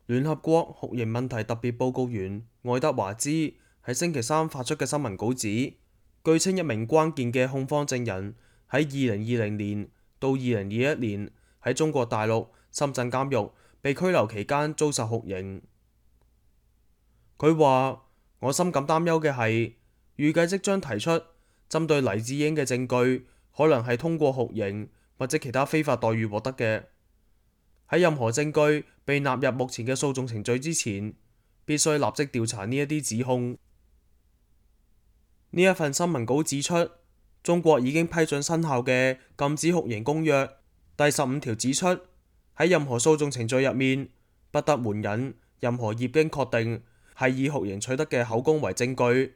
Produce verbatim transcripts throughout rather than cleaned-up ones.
聯合國酷刑問題特別報告員愛德華茲喺星期三發出嘅新聞稿指，據稱一名關鍵嘅控方證人喺二零二零年到二零二一年喺中國大陸深圳監獄被拘留期間遭受酷刑。佢話：我深感擔憂嘅係，預計即將提出針對黎智英嘅證據，可能係通過酷刑或者其他非法待遇獲得嘅。喺任何證據被納入目前嘅訴訟程序之前，必須立即調查呢一啲指控。呢一份新聞稿指出，中國已經批准生效嘅禁止酷刑公約第十五條指出，喺任何訴訟程序入面，不得援引任何業經確定係以酷刑取得嘅口供為證據，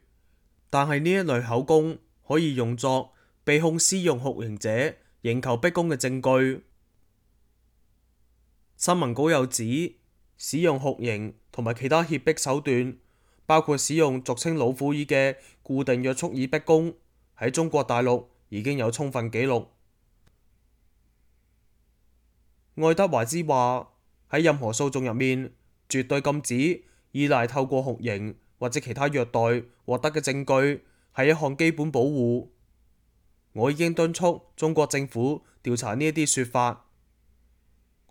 但係呢一類口供可以用作被控施用酷刑者刑求逼供嘅證據。新聞稿又指，使用酷刑同埋其他脅迫手段，包括使用俗稱老虎椅嘅固定約束椅逼供，喺中國大陸已經有充分記錄。愛德華茲話：喺任何訴訟入面，絕對禁止依賴透過酷刑或者其他虐待獲得嘅證據，係一項基本保護。我已經敦促中國政府調查呢一啲說法。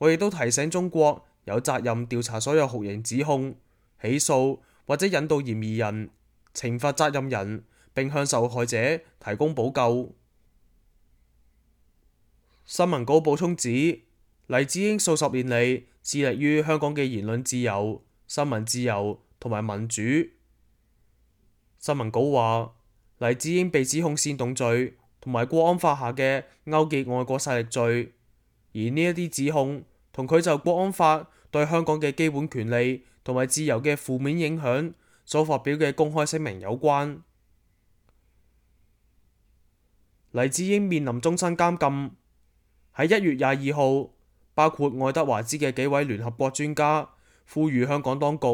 我亦都提醒中國有責任調查所有酷刑指控、起訴或者引渡嫌疑人，懲罰責任人，並向受害者提供補救。新聞稿補充指，黎智英數十年嚟致力於香港嘅言論自由、新聞自由同埋民主。新聞稿話，黎智英被指控煽動罪同埋國安法下嘅勾結外國勢力罪。而呢一啲指控同佢就國安法對香港嘅基本權利同埋自由嘅負面影響所發表嘅公開聲明有關。黎智英面臨終身監禁。喺一月廿二號，包括愛德華茲嘅幾位聯合國專家呼籲香港當局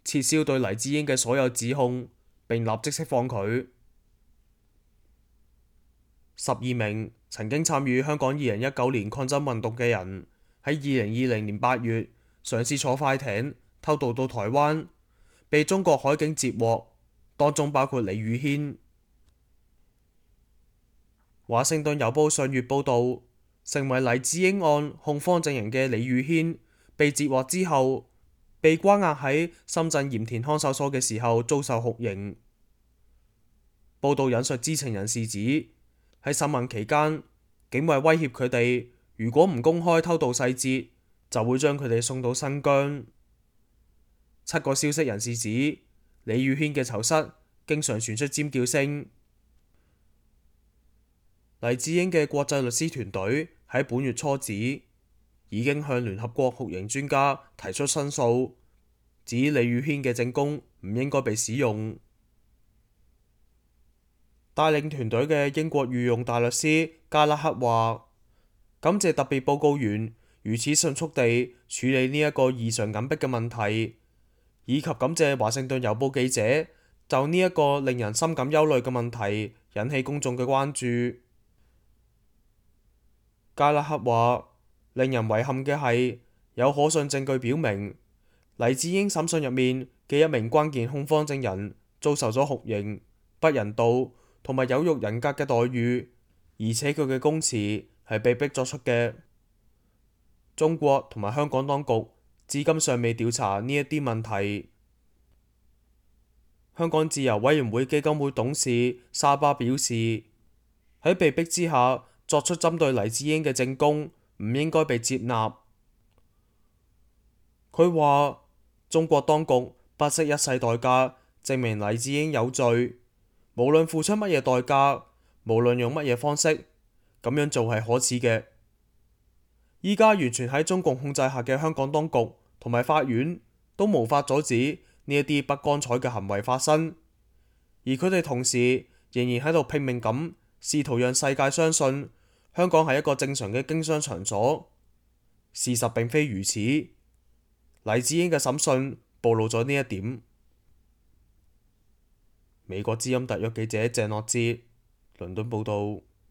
撤銷對黎智英嘅所有指控，並立即釋放佢。十二名曾經參與香港二零一九年抗爭運動嘅人喺二零二零年八月嘗試坐快艇偷渡到台灣，被中國海警截獲，當中包括李宇軒。華盛頓郵報上月報導，成為黎智英案控方證人嘅李宇軒被截獲之後，被關押喺深圳鹽田看守所嘅時候遭受酷刑。報導引述知情人士指，喺審問期間，警衛威脅佢哋，如果唔公開偷渡細節，就會將佢哋送到新疆。七個消息人士指，李宇軒嘅囚室經常傳出尖叫聲。黎智英嘅國際律師團隊喺本月初指，已經向聯合國酷刑專家提出申訴，指李宇軒嘅證供唔應該被使用。帶領團隊嘅英國御用大律師加拉克話：感謝特別報告員如此迅速地處理呢一個異常緊迫嘅問題，以及感謝華盛頓郵報記者就呢一個令人深感憂慮嘅問題引起公眾嘅關注。加拉克話：令人遺憾嘅係，有可信證據表明黎智英審訊入面嘅一名關鍵控方證人遭受咗酷刑、不人道同埋有辱人格嘅待遇，而且佢嘅供詞係被逼作出嘅。中國同埋香港當局至今尚未調查呢一啲問題。香港自由委員會基金會董事沙巴表示，喺被逼之下作出針對黎智英嘅證供唔應該被接納。佢話：中國當局不惜一切代價證明黎智英有罪。無論付出乜嘢代價，無論用乜嘢方式，咁樣做係可恥嘅。依家完全喺中共控制下嘅香港當局同埋法院都無法阻止呢一啲不光彩嘅行為發生，而佢哋同時仍然喺度拼命咁試圖讓世界相信香港係一個正常嘅經商場所。事實並非如此。黎智英嘅審訊暴露咗呢一點。美國之音特約記者鄭樂哲，倫敦報道。